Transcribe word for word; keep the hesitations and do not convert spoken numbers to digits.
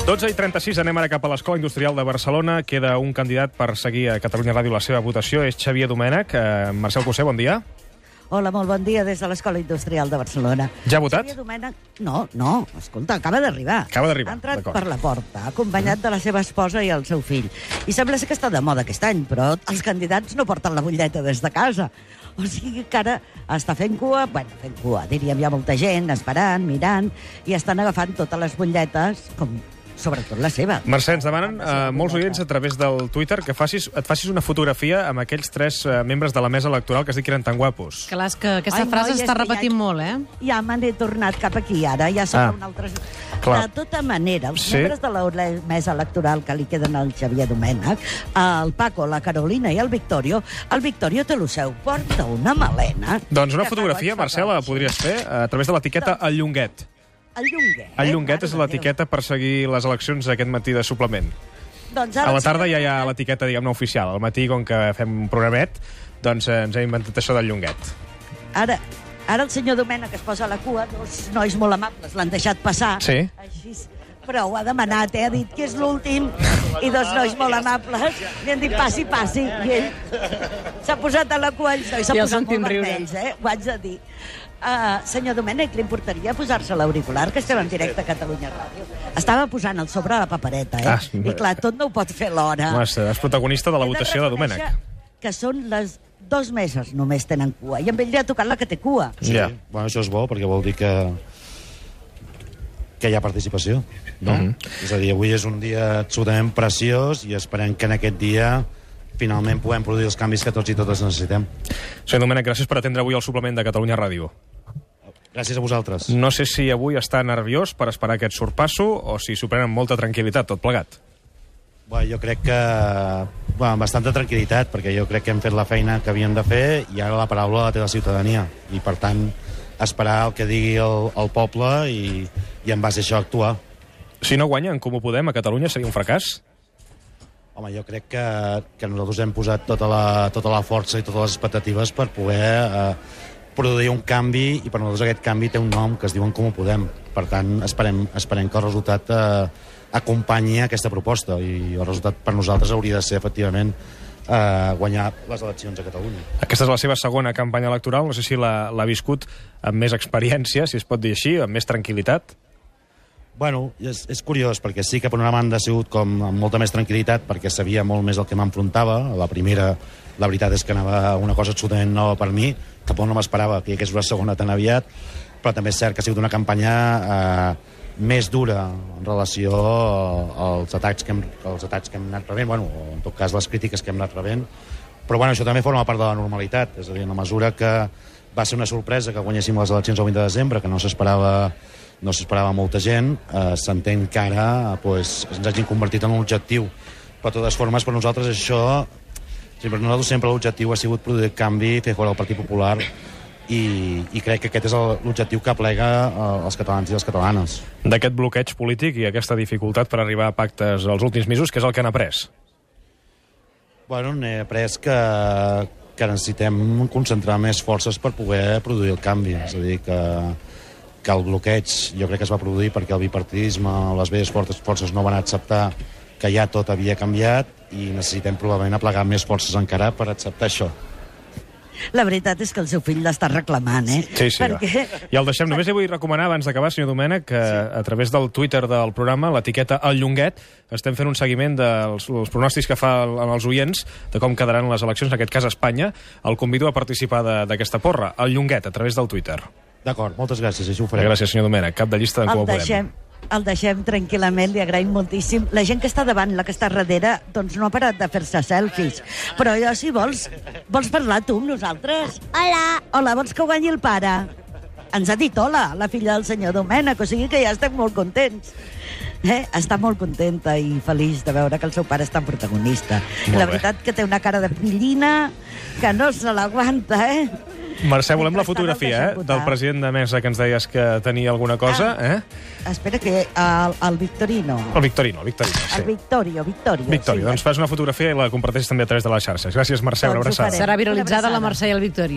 dotze i trenta-sis, anem ara cap a l'Escola Industrial de Barcelona. Queda un candidat per seguir a Catalunya Ràdio la seva votació, és Xavier Domènech. Eh, Marcel Cossé, bon dia. Hola, molt bon dia des de l'Escola Industrial de Barcelona. Ja ha votat? Xavier Domènech... No, no, escolta, acaba d'arribar. Acaba d'arribar, Ha entrat d'acord. per la porta, acompanyat de la seva esposa i el seu fill. I sembla ser que està de moda aquest any, però els candidats no porten la butlleta des de casa. O sigui que ara està fent cua, bueno, fent cua, diríem, hi ha molta gent esperant, mirant, i estan agafant totes les butlletes, com sobretot la seva. Mercè, ens demanen eh, molts oients a través del Twitter que facis, et facis una fotografia amb aquells tres eh, membres de la mesa electoral que es dic que eren tan guapos. Clar, és que aquesta Ai, frase noi, és està que repetint ja- molt, eh? Ja me n'he tornat cap aquí, ara, ja som Ah, un altre... clar. De tota manera, els Sí. membres de la mesa electoral que li queden al Xavier Domènech, el Paco, la Carolina i el Victorio, el Victorio te lo seu, porta una melena... Doncs una que fotografia, fa goig, Marcel, fa la goig. podries fer a través de l'etiqueta El Llonguet. El Llonguet. El Llonguet és Mare de l'etiqueta per seguir les eleccions aquest matí de suplement. Déu. Doncs A ara la el tarda ja senyor hi ha Domènech- l'etiqueta, diguem-ne, oficial. Al matí, com que fem un programet, doncs eh, ens hem inventat això del Llonguet. Ara, ara el senyor Domènech es posa a la cua, dos nois molt amables l'han deixat passar. Sí. Així, però ho ha demanat, eh? Ha dit que és l'últim, i dos nois molt amables li han dit passi, passi, i ell s'ha posat a la cua, ells nois s'ha Ja posat sentim molt riure. vermells, eh? Ho haig de dir. Uh, senyor Domènech, li importaria posar-se l'auricular, que estem en directe a Catalunya Ràdio? Estava posant el sobre a la papereta, eh? Ah, I clar, tot no ho pot fer l'hora. Home, és protagonista de la He votació de reconèixer Domènech. que són les dos meses només tenen cua, i amb ell li ha tocat la que té cua. Sí, Ja. bueno, això és bo, perquè vol dir que que hi ha participació, no? Mhm. És a dir, avui és un dia absolutament preciós i esperem que en aquest dia finalment puguem produir els canvis que tots i totes necessitem. Senyor Domènech, gràcies per atendre avui el suplement de Catalunya Ràdio. Gràcies a vosaltres. No sé si avui està nerviós per esperar aquest sorpasso o si s'ho pren amb molta tranquil·litat, tot plegat. Bueno, jo crec que... Bueno, amb bastanta tranquil·litat, perquè jo crec que hem fet la feina que havíem de fer i ara la paraula la té la ciutadania. I, per tant, esperar el que digui el, el poble i, i en base a això actuar. Si no guanya en Comú Podem a Catalunya seria un fracàs? Home, jo crec que, que nosaltres hem posat tota la, tota la força i totes les expectatives per poder eh, produir un canvi, i per nosaltres aquest canvi té un nom que es diu En Comú Podem. Per tant, esperem, esperem que el resultat eh, acompanyi aquesta proposta, i el resultat per nosaltres hauria de ser, efectivament, eh, guanyar les eleccions a Catalunya. Aquesta és la seva segona campanya electoral, no sé si l'ha l'ha viscut amb més experiència, si es pot dir així, amb més tranquil·litat. Bueno, és, és curiós, perquè sí que per una banda ha sigut com amb molta més tranquil·litat, perquè sabia molt més el que m'enfrontava. A la primera, la veritat és que anava una cosa absolutament nova per mi, tampoc no m'esperava que hi hagués una segona tan aviat, però també és cert que ha sigut una campanya eh, més dura en relació als atacs que hem, als atacs que hem anat rebent, bueno, o en tot cas les crítiques que hem anat rebent, però bueno, això també forma part de la normalitat, és a dir, en la mesura que va ser una sorpresa que guanyéssim les eleccions el vint de desembre, que no s'esperava no s'esperava molta gent, eh, s'entén que ara pues, ens hagin convertit en un objectiu. Però de totes formes, per nosaltres això, sí, per nosaltres sempre l'objectiu ha sigut produir canvi, fer fora el Partit Popular, i, i crec que aquest és el- l'objectiu que aplega eh, els catalans i les catalanes. D'aquest bloqueig polític i aquesta dificultat per arribar a pactes els últims mesos, què és el que han après? Bueno, n'he après que, que necessitem concentrar més forces per poder produir el canvi. És a dir, que, que el bloqueig jo crec que es va produir perquè el bipartidisme, les velles forces, forces no van acceptar que ja tot havia canviat, i necessitem probablement aplegar més forces encara per acceptar això. La veritat és que el seu fill l'està reclamant, eh? Sí, sí. Perquè... I el deixem. Només li vull recomanar, abans d'acabar, senyor Domènech, que a través del Twitter del programa, l'etiqueta El Llonguet, estem fent un seguiment dels els pronòstics que fa el, els oients de com quedaran les eleccions, en aquest cas a Espanya. El convido a participar de- d'aquesta porra. El Llonguet, a través del Twitter. D'acord, moltes gràcies, així ho faré. Gràcies, senyor Domènech. Cap de llista d'en El Comú Podem. deixem, el deixem tranquil·lament, li agraïm moltíssim. La gent que està davant, la que està darrere, doncs no ha parat de fer-se selfies. Però jo, si vols, vols parlar tu amb nosaltres? Hola. Hola, vols que ho guanyi el pare? Ens ha dit hola, la filla del senyor Domènech, o sigui que ja estem molt contents. Eh? Està molt contenta i feliç de veure que el seu pare és tan protagonista. Molt La bé. veritat que té una cara de fillina que no se l'aguanta, eh? Mercè, volem la Mentrestant el fotografia, deixem eh? votar. Del president de mesa que ens deies que tenia alguna cosa, eh? Espera que el, el Victorino... El Victorino, el Victorino, sí. El Victorio, Victorio. Victorio, sí. doncs fas una fotografia i la comparteixes també a través de les xarxes. Gràcies, Mercè, una Doncs ho abraçada. farem. Serà Una viralitzada la abraçada. Mercè i el Victori.